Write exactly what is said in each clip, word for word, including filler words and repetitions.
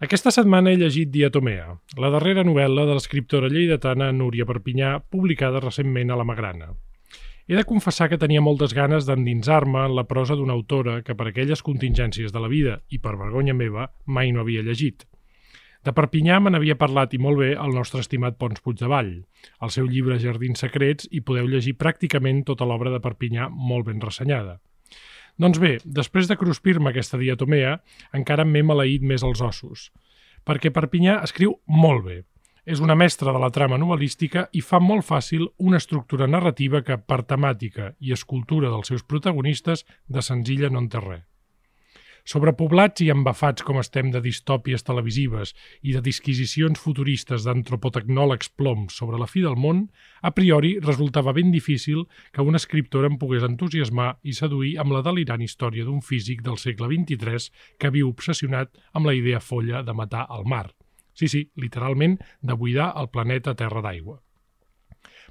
Aquesta setmana he llegit Diatomea, la darrera novel·la de l'escriptora lleidatana Núria Perpinyà, publicada recentment a la Magrana. He de confessar que tenia moltes ganes d'endinsar-me en la prosa d'una autora que per aquelles contingències de la vida, i per vergonya meva, mai no havia llegit. De Perpinyà me n'havia parlat i molt bé el nostre estimat Pons Puigdevall. Al seu llibre Jardins secrets hi podeu llegir pràcticament tota l'obra de Perpinyà molt ben ressenyada. Doncs bé, després de cruspir-me aquesta diatomea, encara m'he maleït més els ossos, perquè Perpinyà escriu molt bé. És una mestra de la trama novel·lística i fa molt fàcil una estructura narrativa que, per temàtica i escultura dels seus protagonistes, de senzilla no en té res. Sobrepoblats i embafats com estem de distòpies televisives i de disquisicions futuristes d'antropotecnòlegs ploms sobre la fi del món, a priori resultava ben difícil que una escriptora em pogués entusiasmar i seduir amb la delirant història d'un físic del segle vint-i-tres que viu obsessionat amb la idea folla de matar el mar. Sí, sí, literalment, de buidar el planeta terra d'aigua.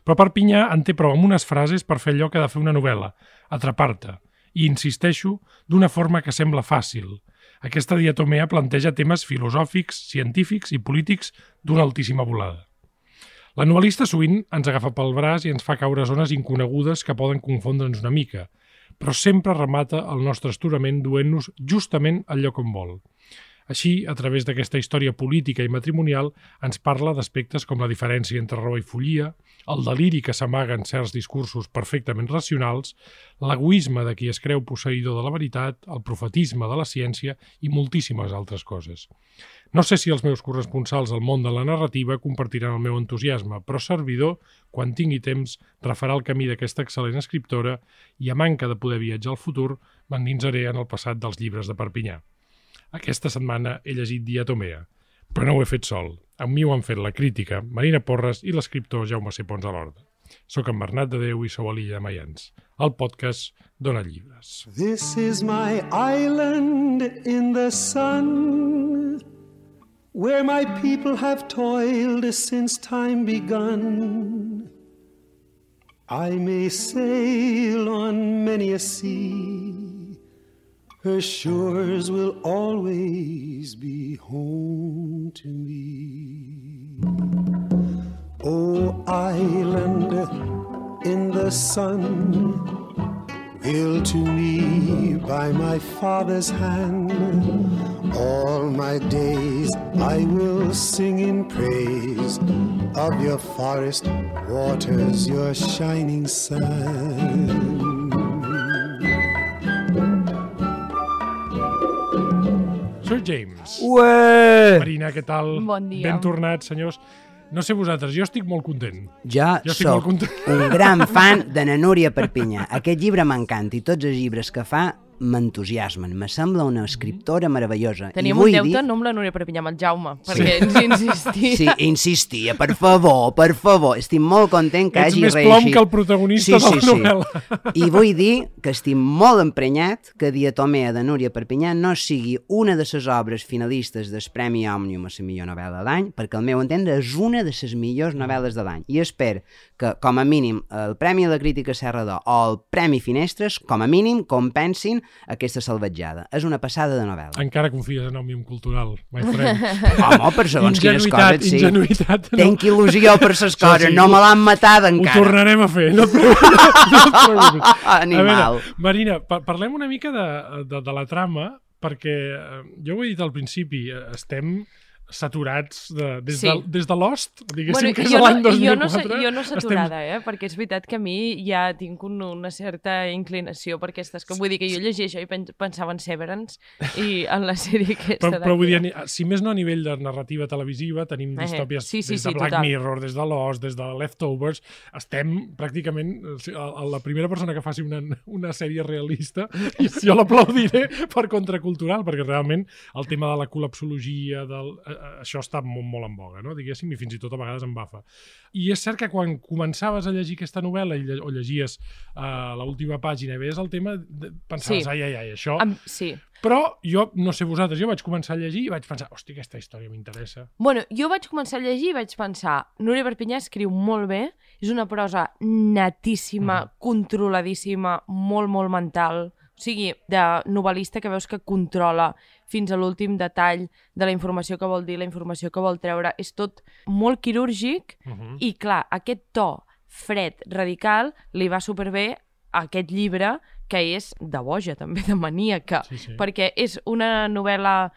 Però Perpinyà en té prou amb unes frases per fer allò que ha de fer una novel·la, atrapar-te. I insisteixo, d'una forma que sembla fàcil. Aquesta diatomea planteja temes filosòfics, científics i polítics d'una altíssima volada. La novel·lista sovint ens agafa pel braç i ens fa caure zones inconegudes que poden confondre'ns una mica, però sempre remata el nostre astorament duent-nos justament al lloc on vol. Així, a través d'aquesta història política i matrimonial, ens parla d'aspectes com la diferència entre raó i follia, el deliri que s'amaga en certs discursos perfectament racionals, l'egoisme de qui es creu posseïdor de la veritat, el profetisme de la ciència i moltíssimes altres coses. No sé si els meus corresponsals al món de la narrativa compartiran el meu entusiasme, però servidor, quan tingui temps, refarà el camí d'aquesta excel·lent escriptora i, a manca de poder viatjar al futur, m'endinsaré en el passat dels llibres de Perpinyà. Aquesta setmana he llegit Diatomea, però no ho he fet sol. Amb mi ho han fet la crítica, Marina Porres i l'escriptor Jaume C. Pons a l'Horta. Soc en Bernat de Déu i sou a l'Illa de Maians. El podcast dona llibres. This is my island in the sun, where my people have toiled since time begun. I may sail on many a sea, her shores will always be home to me. Oh, island in the sun, built to me by my father's hand, all my days I will sing in praise of your forest waters, your shining sun. Sir James. Ué! Marina, què tal? Bon dia. Ben tornats, senyors. No sé vosaltres, jo estic molt content. Jo, Jo estic soc molt content. un gran fan de na Núria Perpinyà. Aquest llibre m'encanta i tots els llibres que fa m'entusiasmen. Me sembla una escriptora meravellosa. Teníem I un vull deute, dir... no amb la Núria Perpinyà, amb el Jaume, perquè ens insistia. Sí, insistia, per favor, per favor. Estic molt content que Ets hagi més reeixit. plom que el protagonista sí, sí, de la novel·la. Sí. I vull dir que estic molt emprenyat que Diatomea de Núria Perpinyà no sigui una de les obres finalistes del Premi Òmnium a la millor novel·la de l'any, perquè al meu entendre és una de les millors novel·les de l'any. I espero que, com a mínim, el Premi a la Crítica Serra d'Or o el Premi Finestres, com a mínim, compensin aquesta salvatjada. És una passada de novel·la. Encara confies en Òmnium Cultural, my friend. Home, per segons quines coses, sí. Ingenuïtat, no. Tenc il·lusió per ses Això coses, sí. no me l'han matat Ho encara. tornarem a fer, no et preocupis. No et preocupis. Animal. A veure, Marina, pa parlem una mica de, de, de la trama, perquè eh, jo ho he dit al principi, eh, estem saturats de, des, Sí. de, des de Lost, diguéssim Bueno, que és jo, l'any no, dos jo, mil no, sa- quatre. jo no saturada, estem... eh? Perquè és veritat que a mi ja tinc un, una certa inclinació per aquestes... Que, vull dir que jo llegia això i pen pensava en Severance i en la sèrie aquesta Però, però vull dir, d'aquí. si més no a nivell de narrativa televisiva, tenim Eh, distòpies sí, sí, des de sí, Black total. Mirror, des de Lost, des de Leftovers, estem pràcticament a la primera persona que faci una, una sèrie realista, i jo l'aplaudiré per contracultural, perquè realment el tema de la col·lapsologia, del, eh, això està molt, molt en boga, no? Diguéssim, i fins i tot a vegades em bafa. I és cert que quan començaves a llegir aquesta novel·la i lle o llegies uh, l'última pàgina i veies el tema, de, pensaves, Sí. ai, ai, ai, això... Am sí. Però jo, no sé vosaltres, jo vaig començar a llegir i vaig pensar, hosti, aquesta història m'interessa. Bueno, jo vaig començar a llegir i vaig pensar, Núria Perpinyà escriu molt bé, és una prosa netíssima, Mm. controladíssima, molt, molt mental. O sigui, de novel·lista que veus que controla fins a l'últim detall de la informació que vol dir, la informació que vol treure. És tot molt quirúrgic Uh-huh. i, clar, aquest to fred, radical, li va superbé a aquest llibre que és de boja, també, de maníaca, Sí, sí. perquè és una novel·la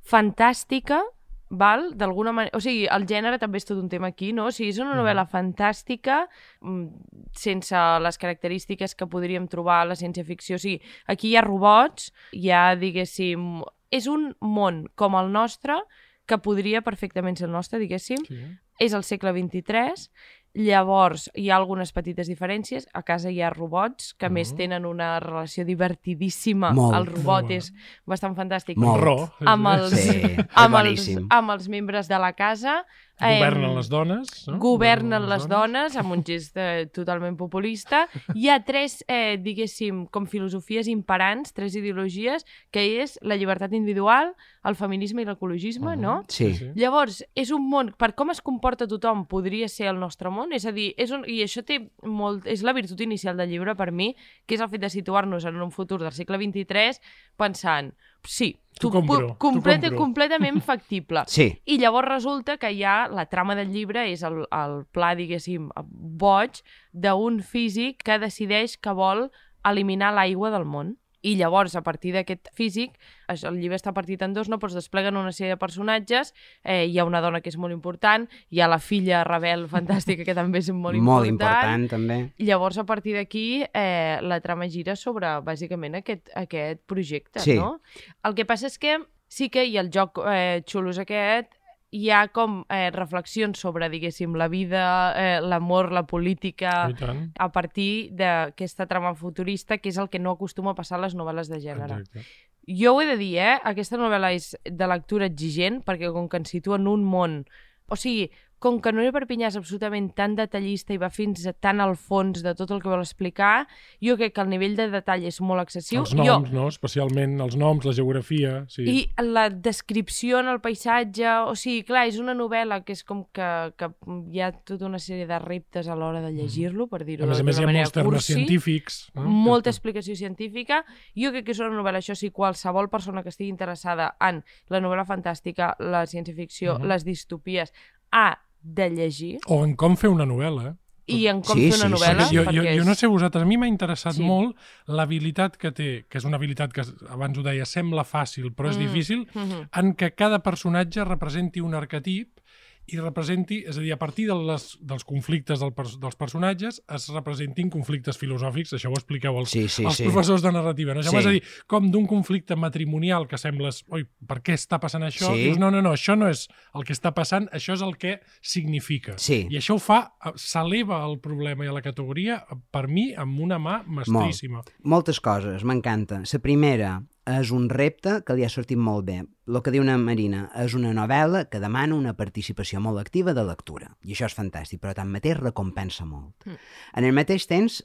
fantàstica, val? D'alguna manera... O sigui, el gènere també és tot un tema aquí, no? O sigui, és una novel·la fantàstica, mm, sense les característiques que podríem trobar a la ciència-ficció. O sigui, aquí hi ha robots, hi ha, diguéssim... És un món com el nostre, que podria perfectament ser el nostre, diguéssim. Sí. És el segle vint-i-tres, llavors hi ha algunes petites diferències. A casa hi ha robots, que a més Mhm. tenen una relació divertidíssima. Molt. El robot Molt. és bastant fantàstic. Molt. Ro. Amb els, Sí, és amb, els, boníssim. amb els membres de la casa. Governen Em, les dones. No? Governen les dones, amb un gest eh, totalment populista. Hi ha tres, eh, diguéssim, com filosofies imperants, tres ideologies, que és la llibertat individual, el feminisme i l'ecologisme, Mhm. no? Sí. Llavors, és un món, per com es comporta tothom, podria ser el nostre món, és a dir, és un, i això té molt, és la virtut inicial del llibre per mi, que és el fet de situar-nos en un futur del segle vint-i-tres pensant, sí, T'ho tu- compro, pu- t'ho completa- compro. completament factible. Sí. I llavors resulta que ja la trama del llibre és el, el pla, diguéssim, boig d'un físic que decideix que vol eliminar l'aigua del món. I llavors, a partir d'aquest físic, això, el llibre està partit en dos, no? Però es despleguen una sèrie de personatges, eh, hi ha una dona que és molt important, hi ha la filla rebel fantàstica que també és molt, Molt important. important, també. Llavors, a partir d'aquí, eh, la trama gira sobre, bàsicament, aquest, aquest projecte, Sí. no? El que passa és que sí que hi ha el joc eh, xulo és aquest, hi ha com eh, reflexions sobre, diguéssim, la vida, eh, l'amor, la política, I tant. a partir d'aquesta trama futurista, que és el que no acostuma a passar a les novel·les de gènere. Exacte. Jo ho he de dir, eh? Aquesta novel·la és de lectura exigent, perquè com que ens situa en un món... O sigui, com que Núria Perpinyà és absolutament tan detallista i va fins a tan al fons de tot el que vol explicar, jo crec que el nivell de detall és molt excessiu. Els noms, jo, no? Especialment els noms, la geografia. Sí. I la descripció en el paisatge, o sigui, clar, és una novel·la que és com que, que hi ha tota una sèrie de reptes a l'hora de llegir-lo, per dir-ho A més a d'una més, hi ha manera molts termes cursi. científics. No? Molta explicació científica. Jo crec que és una novel·la, això sí, qualsevol persona que estigui interessada en la novel·la fantàstica, la ciència-ficció, Mhm. les distopies, ha de llegir, O en com fer una novel·la. i en com Sí, fer una sí, novel·la. Perquè jo, jo, perquè jo és- no sé vosaltres, a mi m'ha interessat Sí. molt l'habilitat que té, que és una habilitat que abans ho deia, sembla fàcil, però és Mm. difícil, Mhm. en què cada personatge representi un arquetip i representi, és a dir, a partir de les, dels conflictes del, pers- dels personatges es representin conflictes filosòfics, això ho expliqueu als, Sí, sí, als sí. professors de narrativa, no? Sí. Sí. És a dir, com d'un conflicte matrimonial que sembles, oi, per què està passant això? Sí. Dius, no, no, no, això no és el que està passant, això és el que significa. Sí. I això ho fa, eh, s'eleva el problema i a la categoria, eh, per mi, amb una mà mestríssima. Moltes coses, m'encanta. La primera és un repte que li ha sortit molt bé. El que diu una Marina, és una novel·la que demana una participació molt activa de lectura. I això és fantàstic, però tanmateix recompensa molt. Mm. En el mateix temps,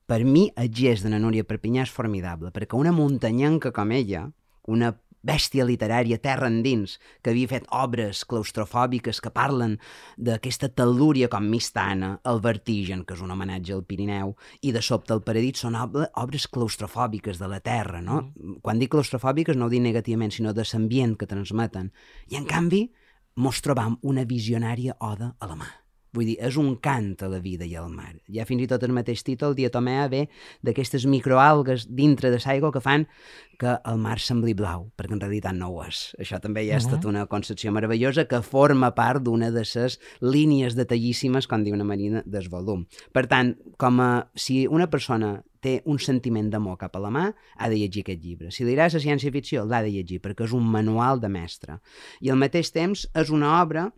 per mi, el gest de la Núria Perpinyà és formidable, perquè una muntanyenca com ella, una bèstia literària terra endins, que havia fet obres claustrofòbiques que parlen d'aquesta tel·lúria com Mistana, el Vertigen, que és un homenatge al Pirineu, i de sobte el Paradís, són ob obres claustrofòbiques de la terra, no? Mm. Quan dic claustrofòbiques no ho dic negativament, sinó de l'ambient que transmeten. I en canvi, mos trobam una visionària oda a la mà. Vull dir, és un cant a la vida i al mar. Ja fins i tot el mateix títol, Diatomea, ve d'aquestes microalgues dintre de l'aigua que fan que el mar sembli blau, perquè en realitat no ho és. Això també ja és tota una concepció meravellosa que forma part d'una de les línies detallíssimes, com diu una Marina, del volum. Per tant, com a, si una persona té un sentiment d'amor cap a la mà, ha de llegir aquest llibre. Si li agrada la ciència-ficció, l'ha de llegir, perquè és un manual de mestre. I al mateix temps és una obra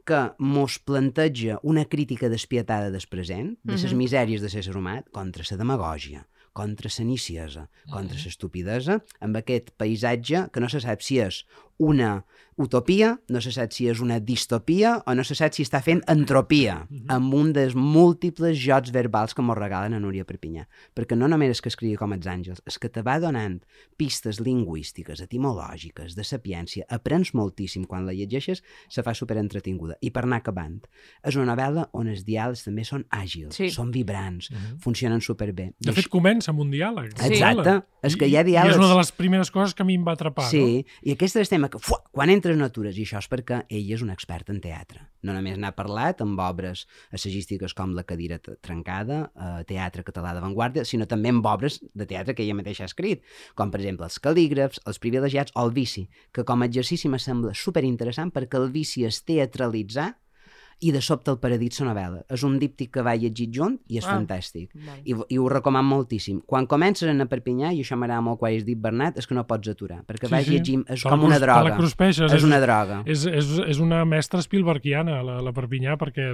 que mos planteja una crítica despietada del present, de les Mhm. misèries de l'ésser humà, contra la demagògia, contra la niciesa, contra l'estupidesa, amb aquest paisatge que no se sap si és una utopia, no se sap si és una distopia o no se sap si està fent entropia amb un dels múltiples jocs verbals que mos regalen a Núria Perpinyà. Perquè no només és que escrigui com els àngels, és que te va donant pistes lingüístiques, etimològiques, de sapiència, aprens moltíssim quan la llegeixes, se fa superentretinguda. I per anar acabant, és una novel·la on els diàlegs també són àgils, sí. són vibrants, uh-huh. funcionen superbé. De fet, comença amb un diàleg. Exacte. I, és que hi ha diàlegs... I és una de les primeres coses que a mi em va atrapar. Sí, no? I aquest és el tema que, fuà, quan entres no atures, i això és perquè ell és un expert en teatre. No només n'ha parlat amb obres assagístiques com La cadira trencada, eh, teatre català d'avantguarda, sinó també amb obres de teatre que ella mateixa ha escrit, com per exemple Els calígrafs, Els privilegiats o El vici, que com a exercici me sembla superinteressant perquè el vici es teatralitzar i de sobte el paradís la novel·la. És un díptic que va llegit junt i és ah, fantàstic. I, I ho recomano moltíssim. Quan comences a anar a Perpinyà, i això m'agrada molt quan has dit Bernat, és que no pots aturar, perquè sí, vas sí. llegint, és te com una droga. Cruspeixes, és una droga. És, és, és una mestra Spielbergiana, la, la Perpinyà, perquè,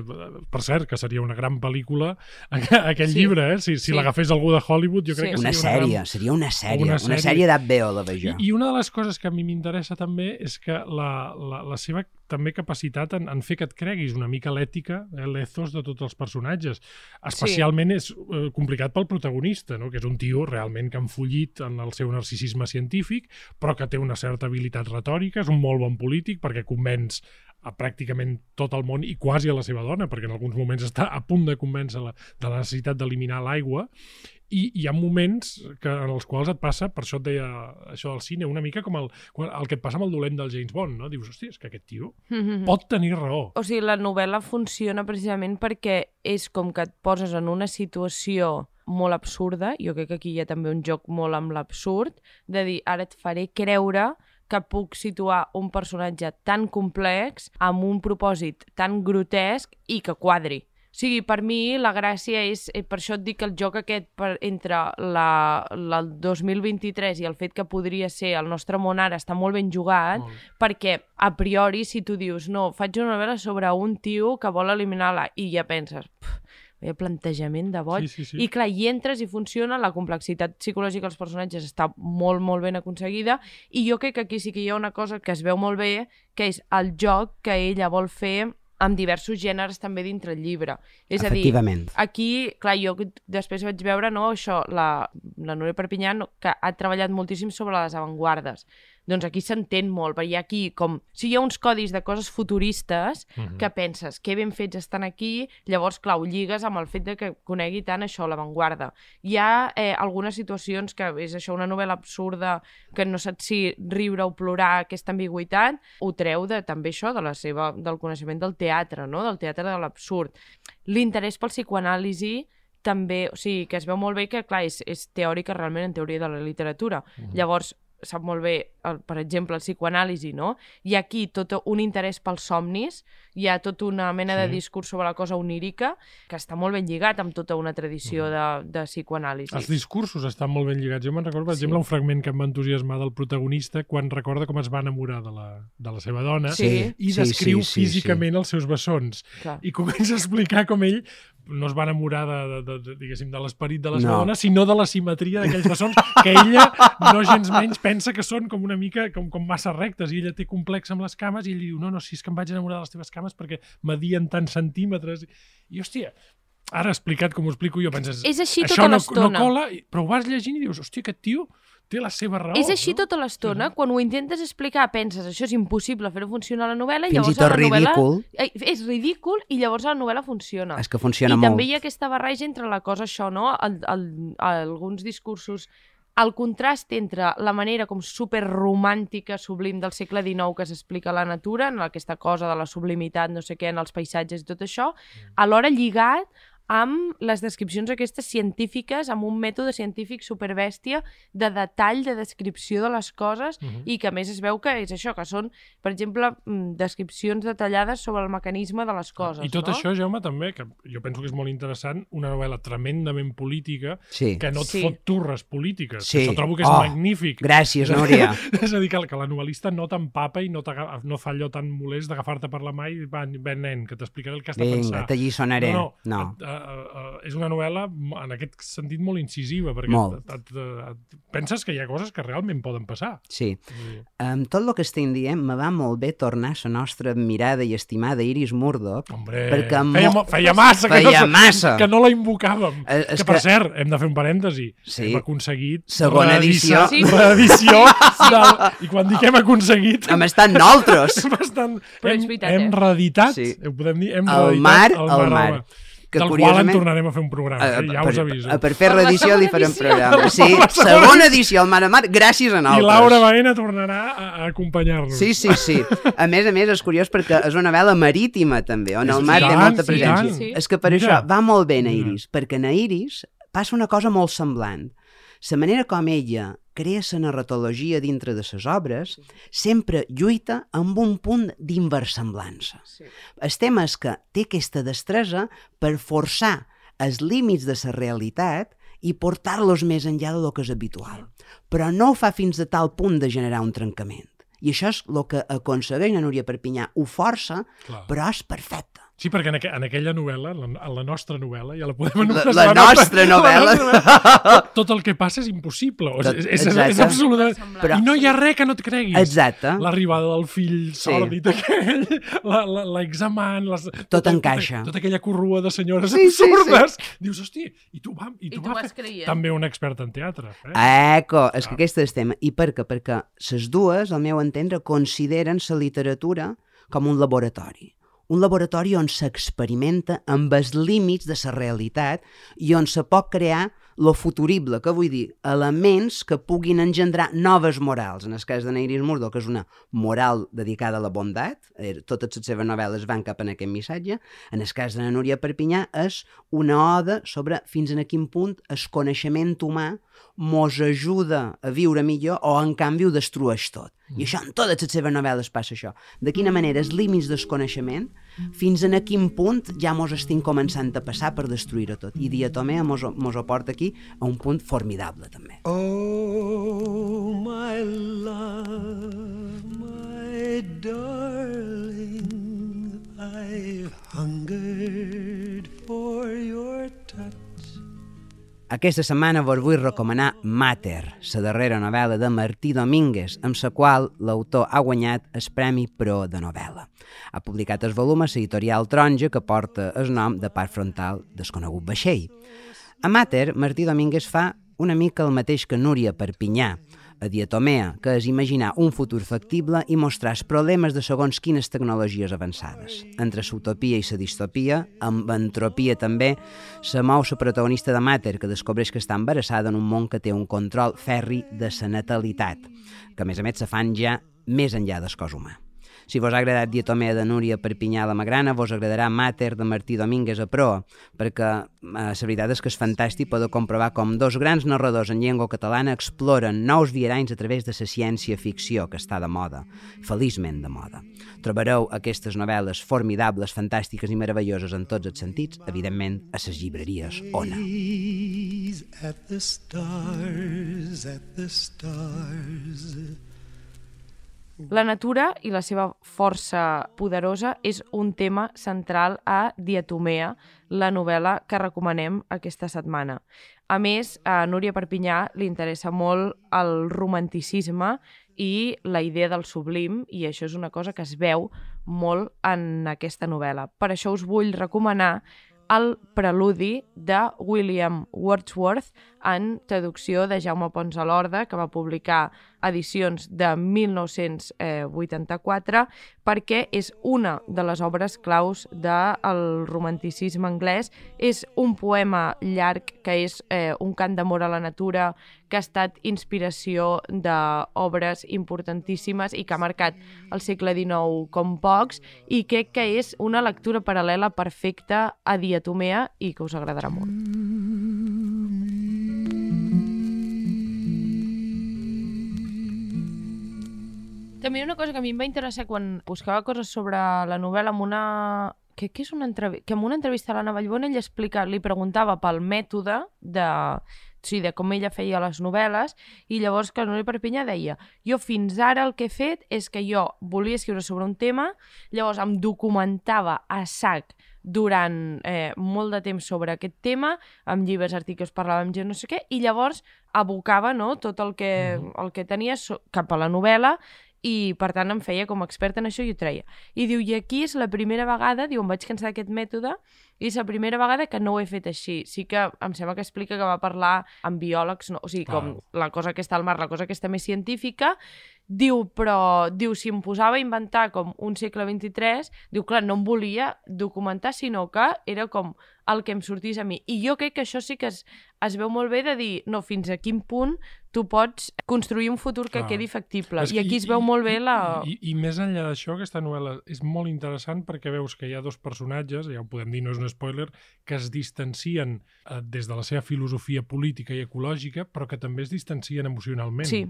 per cert, que seria una gran pel·lícula aquell sí. llibre, eh? Si, si sí. l'agafés algú de Hollywood, jo crec sí. que una seria sèrie, una gran... seria una sèrie, una sèrie, una sèrie d'H B O, la veig jo. I, I una de les coses que a mi m'interessa també és que la, la, la seva també capacitat en, en fer que et creguis una mica l'ètica, eh, l'ethos de tots els personatges. Especialment sí. és eh, complicat pel protagonista, no? Que és un tio realment que ha enfullit en el seu narcisisme científic, però que té una certa habilitat retòrica, és un molt bon polític perquè convenç a pràcticament tot el món i quasi a la seva dona, perquè en alguns moments està a punt de convèncer-la de la necessitat d'eliminar l'aigua. I hi ha moments que, en els quals et passa, per això et deia això del cine, una mica com el, el que et passa amb el dolent del James Bond, no? Dius, hòstia, és que aquest tio mm-hmm. pot tenir raó. O sigui, la novel·la funciona precisament perquè és com que et poses en una situació molt absurda, jo crec que aquí hi ha també un joc molt amb l'absurd, de dir, ara et faré creure que puc situar un personatge tan complex amb un propòsit tan grotesc i que quadri. O sigui, per mi la gràcia és, per això et dic que el joc aquest per, entre la, la, el dos mil vint-i-tres i el fet que podria ser el nostre món ara està molt ben jugat, molt. Perquè a priori si tu dius, no, faig una novel·la sobre un tio que vol eliminar la... i ja penses, el plantejament de boig, sí, sí, sí. I clar, hi entres i funciona, la complexitat psicològica dels personatges està molt, molt ben aconseguida, i jo crec que aquí sí que hi ha una cosa que es veu molt bé, que és el joc que ella vol fer amb diversos gèneres també dintre el llibre. És a dir, aquí, clar, jo després vaig veure, no, això, la, la Núria Perpinyà, que ha treballat moltíssim sobre les avantguardes. Doncs aquí s'entén molt, perquè hi ha aquí com... Si hi ha uns codis de coses futuristes uh-huh. que penses, que ben fets estan aquí, llavors, clar, ho lligues amb el fet de que conegui tant això, l'avantguarda. Hi ha eh, algunes situacions que és això, una novel·la absurda, que no saps si riure o plorar, aquesta ambigüitat, ho treu de, també això, de la seva, del coneixement del teatre, no? Del teatre de l'absurd. L'interès pel psicoanàlisi també, o sigui, que es veu molt bé que, clar, és, és teòrica realment en teoria de la literatura. Uh-huh. Llavors, sap molt bé, el, per exemple, el psicoanàlisi, no? Hi ha aquí tot un interès pels somnis, hi ha tota una mena sí. de discurs sobre la cosa onírica que està molt ben lligat amb tota una tradició de, de psicoanàlisi. Els discursos estan molt ben lligats. Jo me'n recordo, per sí. exemple, un fragment que em va entusiasmar del protagonista quan recorda com es va enamorar de la, de la seva dona sí. i descriu sí, sí, sí, físicament sí. els seus bessons. Clar. I comença a explicar com ell no es va enamorar de, de, de, de, diguéssim, de l'esperit de la seva no. dona, sinó de la simetria d'aquells bessons que ella, no gens menys, pensa que són com una mica, com, com massa rectes, i ella té complex amb les cames, i ell diu, no, no, si és que em vaig enamorar de les teves cames perquè medien tants centímetres. I, hòstia, ara explicat com ho explico jo, penses, és així això tota no, l'estona. no cola, però ho vas llegint i dius, hòstia, aquest tio té la seva raó. És així no? tota l'estona, sí. Quan ho intentes explicar penses, això és impossible fer-ho funcionar a la novel·la, fins llavors i tot la novel·la... ridícul. És ridícul i llavors la novel·la funciona. És que funciona I molt. I també hi ha aquesta barreja entre la cosa això, no? El, el, alguns discursos, el contrast entre la manera com superromàntica, sublim del segle dinou que s'explica la natura, en aquesta cosa de la sublimitat, no sé què, en els paisatges i tot això, alhora lligat amb les descripcions aquestes científiques, amb un mètode científic superbèstia de detall, de descripció de les coses, uh-huh. i que a més es veu que és això, que són, per exemple, descripcions detallades sobre el mecanisme de les coses. I tot no? això, Jaume, també, que jo penso que és molt interessant, una novel·la tremendament política, sí. que no et sí. fot turres polítiques. Sí. Això trobo que és oh, magnífic. Gràcies, Núria. És a dir, que, que la novel·lista no t'empapa i no, no fa allò tan molest d'agafar-te per la mà i va, va nen, que t'explicaré el que has de Vinga, pensar. t'allisonaré. No, no. no. Et, uh, és una novel·la en aquest sentit molt incisiva, perquè Molt. et, et, et, penses que hi ha coses que realment poden passar. Sí. Amb tot el que estem dient, me va molt bé tornar a la nostra admirada i estimada Iris Murdoch. Hombre, perquè feia, mo- feia massa, feia que, no, massa. que no la invocàvem. Eh, és que, per que- cert, hem de fer un parèntesi. Sí. Hem aconseguit Segona edició. Sí. reedició del, i quan dic hem aconseguit Hem estat nosaltres. hem, estat, Però és hem, veritat, hem eh? reeditat, Sí. ho podem dir, hem El reeditat mar, el el mar. home, Que del qual en curiosament- tornarem a fer un programa, eh? ja per, us aviso. per fer Per la reedició li segona farem edició. programa. Sí, Per la segona segona edició al Mar a Mar, gràcies a I nosaltres. Laura Baena tornarà a, a acompanyar-nos. Sí, sí, sí. A més a més, és curiós perquè és una novel·la marítima, també, on Sí, el mar i té tant, molta i presència. tant. Sí. És que per Mira. això va molt bé en Mira. Iris, perquè en Iris passa una cosa molt semblant. La manera com ella crea la narratologia dintre de les obres sempre lluita amb un punt d'inversemblança. Sí. El tema és que té aquesta destresa per forçar els límits de la realitat i portar-los més enllà del que és habitual. Però no ho fa fins a tal punt de generar un trencament. I això és el que aconsegueix la Núria Perpinyà. Ho força, Clar. però és perfecte. Sí, perquè en, aqu en aquella novel·la, en la, en la nostra novel·la, ja la podem anomenar... La- la nostra novel·la. tot, tot el que passa és impossible. O Tot- sigui, és, és, és exacte. absolutament... Però- I no hi ha res que no et creguis. Exacte. L'arribada del fill Sí. sòrdid aquell, la- la- l'examant... Les, Tot encaixa. Tota, tota aquella corrua de senyores Sí, sí, absurdes. Dius, hosti, i tu, va, i I tu, tu va vas fer... creient. També un expert en teatre. Eh? Eco, és que Ah. aquest és el tema. I per què? Perquè les dues, al meu entendre, consideren la literatura com un laboratori. Un laboratori on s'experimenta amb els límits de la realitat i on se pot crear lo futurible, que vull dir, elements que puguin engendrar noves morals. En el cas de Iris Murdoch, que és una moral dedicada a la bondat, eh, totes les seves novel·les van cap en aquest missatge. En el cas de la Núria Perpinyà és una oda sobre fins a quin punt el coneixement humà mos ajuda a viure millor o en canvi ho destrueix tot. I això en totes les seves novel·les passa això. De quina manera els límits del coneixement fins a quin punt ja mos estem començant a passar per destruir-ho tot. I Diatomea mos, mos ho porta aquí a un punt formidable també. Oh, my love, my darling, I've hungered for your touch. Aquesta setmana vos vull recomanar Mater, la darrera novel·la de Martí Domínguez, amb la qual l'autor ha guanyat el Premi Pro de novel·la. Ha publicat el volum a l'editorial Taronja, que porta el nom de Part Frontal desconegut vaixell. A Mater, Martí Domínguez fa una mica el mateix que Núria Perpinyà, a Diatomea, que és imaginar un futur factible i mostrar els problemes de segons quines tecnologies avançades. Entre l'utopia i la distopia, amb entropia també, se mou la protagonista de Mater, que descobreix que està embarassada en un món que té un control ferri de la natalitat, que a més a més se fan ja més enllà del cos humà. Si vos ha agradat Diatomea de Núria Perpinyà a la Magrana, vos agradarà Mater de Martí Domínguez a proa, perquè eh, la veritat és que és fantàstic poder comprovar com dos grans narradors en llengua catalana exploren nous viaranys a través de la ciència-ficció, que està de moda, feliçment de moda. Trobareu aquestes novel·les formidables, fantàstiques i meravelloses en tots els sentits, evidentment, a les llibreries Ona. Gaze at the stars, at the stars. La natura i la seva força poderosa és un tema central a Diatomea, la novel·la que recomanem aquesta setmana. A més, a Núria Perpinyà li interessa molt el romanticisme i la idea del sublim, i això és una cosa que es veu molt en aquesta novel·la. Per això us vull recomanar el preludi de William Wordsworth en traducció de Jaume Pons a l'Horda, que va publicar edicions de mil nou-cents vuitanta-quatre, perquè és una de les obres claus del romanticisme anglès. És un poema llarg que és eh, un cant d'amor a la natura, que ha estat inspiració d'obres importantíssimes i que ha marcat el segle dinou com pocs, i crec que és una lectura paral·lela perfecta a Diatomea i que us agradarà molt. També una cosa que a mi em va interessar quan buscava coses sobre la novel·la amb una que, que, és una entrev... que en una entrevista a l'Anna Vallbona ell explica, li preguntava pel mètode de, o sigui, de com ella feia les novel·les, i llavors que Núria Perpinyà deia, jo fins ara el que he fet és que jo volia escriure sobre un tema, llavors em documentava a sac durant eh, molt de temps sobre aquest tema, amb llibres, articles, parlàvem gent no sé què, i llavors abocava, no, tot el que, el que tenia so cap a la novel·la, i per tant em feia com a expert en això i ho treia. I diu, i aquí és la primera vegada, diu, em vaig cansar d'aquest mètode, i és la primera vegada que no ho he fet així. Sí que em sembla que explica que va parlar amb biòlegs, no? O sigui, com la cosa que està al mar, la cosa que està més científica, diu, però, diu, si em posava a inventar com un segle vint-i-tres, diu, clar, no em volia documentar, sinó que era com el que em sortís a mi. I jo crec que això sí que es, es veu molt bé de dir, no, fins a quin punt tu pots construir un futur que Clar. quedi factible. És I aquí que- es veu molt bé la... I, i, I més enllà d'això, aquesta novel·la és molt interessant perquè veus que hi ha dos personatges, ja ho podem dir, no és un spoiler, que es distancien eh, des de la seva filosofia política i ecològica, però que també es distancien emocionalment. Sí.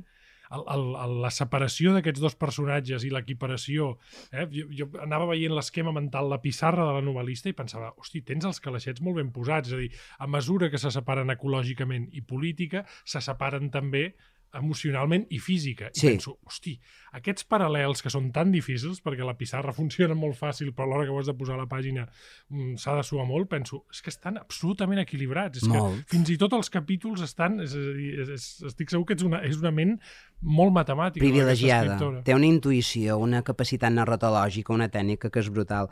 El, el, el, la separació d'aquests dos personatges i l'equiparació, eh? jo, jo anava veient l'esquema mental, la pissarra de la novel·lista i pensava, hosti, tens els calaixets molt ben posats, és a dir, a mesura que se separen ecològicament i política, se separen també emocionalment i física. I Sí. penso, hosti, aquests paral·lels que són tan difícils, perquè la pissarra funciona molt fàcil, però a l'hora que ho has de posar a la pàgina mm, s'ha de suar molt, penso, és que estan absolutament equilibrats. És Molt. que fins i tot els capítols estan... És, a dir, és, és, estic segur que ets una, és una ment molt matemàtica. Privilegiada. aquesta escriptora. Té una intuïció, una capacitat narratològica, una tècnica que és brutal.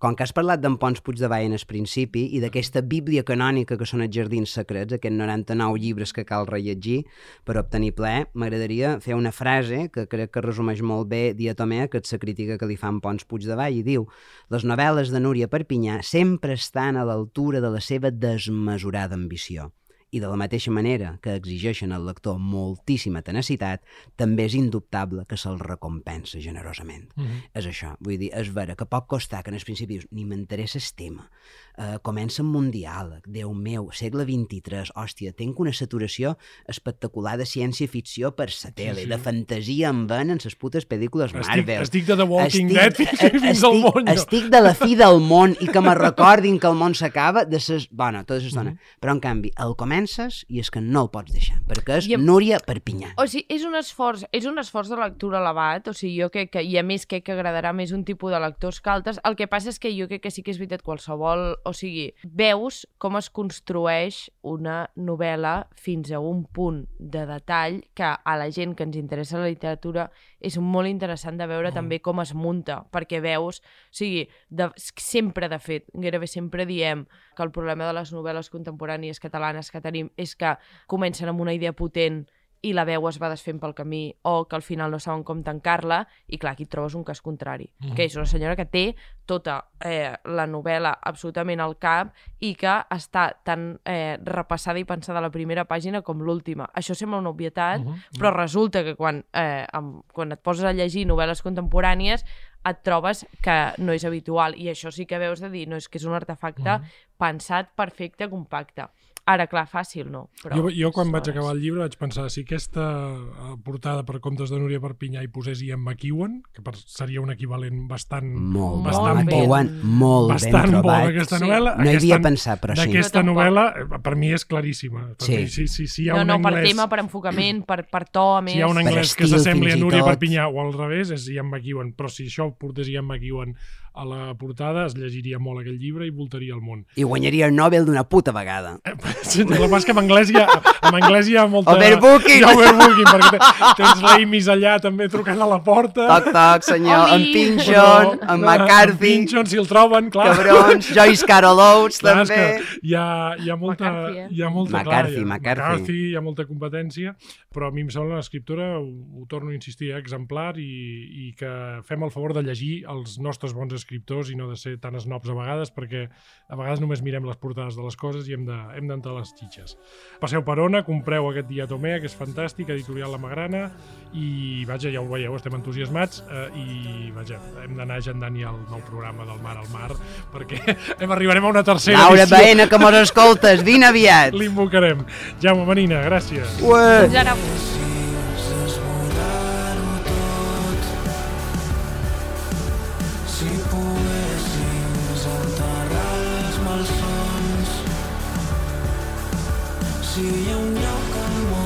Com que has parlat d'en Pons Puigdevall en el principi i d'aquesta bíblia canònica que són els Jardins Secrets, aquests noranta-nou llibres que cal rellegir per obtenir plaer, m'agradaria fer una frase que crec que resumeix molt bé Diatomea, que és la crítica que li fa en Pons Puigdevall, i diu: les novel·les de Núria Perpinyà sempre estan a l'altura de la seva desmesurada ambició. I de la mateixa manera que exigeixen al lector moltíssima tenacitat, també és indubtable que se'l recompensa generosament. Mm -hmm. És això, vull dir, és vera que pot costar que en el principi dius, ni m'interessa el tema, uh, comença amb un diàleg, Déu meu, segle vint-i-tres, hòstia, tenc una saturació espectacular de ciència-ficció per la tele, sí. de fantasia en ven en les putes pel·lícules Estic, Marvel. estic de The Walking Estic- Dead fins, eh, fins al estic- món. jo. Estic de la fi del món i que me recordin que el món s'acaba de ses... Bueno, tota l'estona. Mm -hmm. Però, en canvi, el comences i és que no el pots deixar, perquè és I em- Núria Perpinyà. O sigui, és un esforç, és un esforç de lectura elevat, o sigui, jo crec que, i a més crec que agradarà més un tipus de lectors que altres. El que passa és que jo crec que sí que és veritat qualsevol, o sigui, veus com es construeix una novel·la fins a un punt de detall que a la gent que ens interessa la literatura és molt interessant de veure mm. també com es munta, perquè veus, o sigui, de, sempre, de fet, gairebé sempre diem que el problema de les novel·les contemporànies catalanes que tenim és que comencen amb una idea potent i la veu es va desfent pel camí, o que al final no saben com tancar-la, i clar, aquí et trobes un cas contrari, mm. que és una senyora que té tota eh, la novel·la absolutament al cap i que està tan eh, repassada i pensada a la primera pàgina com l'última. Això sembla una obvietat, mm -hmm. però resulta que quan, eh, amb, quan et poses a llegir novel·les contemporànies et trobes que no és habitual, i això sí que veus de dir, no, és que és un artefacte mm. pensat, perfecte, compacte. Ara, clar, fàcil no. Però jo, jo quan vaig hores. acabar el llibre vaig pensar, si aquesta portada per Contes de Núria Perpinyà hi posés Ian McEwan, que per, seria un equivalent bastant, Molt, bastant molt bo, McEwan, molt bastant ben bo trobat. d'aquesta Sí. novel·la. No hi aquesta, havia pensat, però sí. D'aquesta Jo tampoc. novel·la, eh, per mi és claríssima. Per Sí. mi, si, si, si hi ha No, un no, per anglès, tema, per enfocament, per, per to, a més. si hi ha un Per anglès que estil, s'assembli a fins i Núria tot. Perpinyà o al revés, és Ian McEwan. Però si això portés Ian McEwan a la portada, es llegiria molt aquell llibre i voltaria el món. I guanyaria el Nobel d'una puta vegada. Eh, sí, el que passa és que en anglès hi ha, en anglès hi ha molta... Overbooking! Hi ha overbooking, perquè te- tens l'Amis allà també trucant a la porta. Toc, toc, senyor. Oli! En Pinchon, en McCarthy, En Pinchon, si el troben, clar. cabrons, Joyce Carol Oates, Clar, és també. que hi ha, hi ha molta... McCarthy, eh? Hi ha molta McCarthy, clar, hi ha, McCarthy. McCarthy, hi ha molta competència, però a mi em sembla una escriptora, ho, ho torno a insistir, eh, exemplar, i, i que fem el favor de llegir els nostres bons escriptors i no de ser tan snobs a vegades, perquè a vegades només mirem les portades de les coses i hem de, hem d'entrar les xitxes. Passeu per Ona, compreu aquest Diatomea, que és fantàstic, editorial La Magrana, i vaja, ja ho veieu, estem entusiasmats, eh, i vaja, hem d'anar agendant ja el nou programa del Mar al Mar, perquè hem arribarem a una tercera Laura edició. Baena, que mos escoltes, vine aviat. L'invocarem. Jaume Manina, gràcies. Ué. Fins ara. Si poguéssim Si hi ha un lloc al món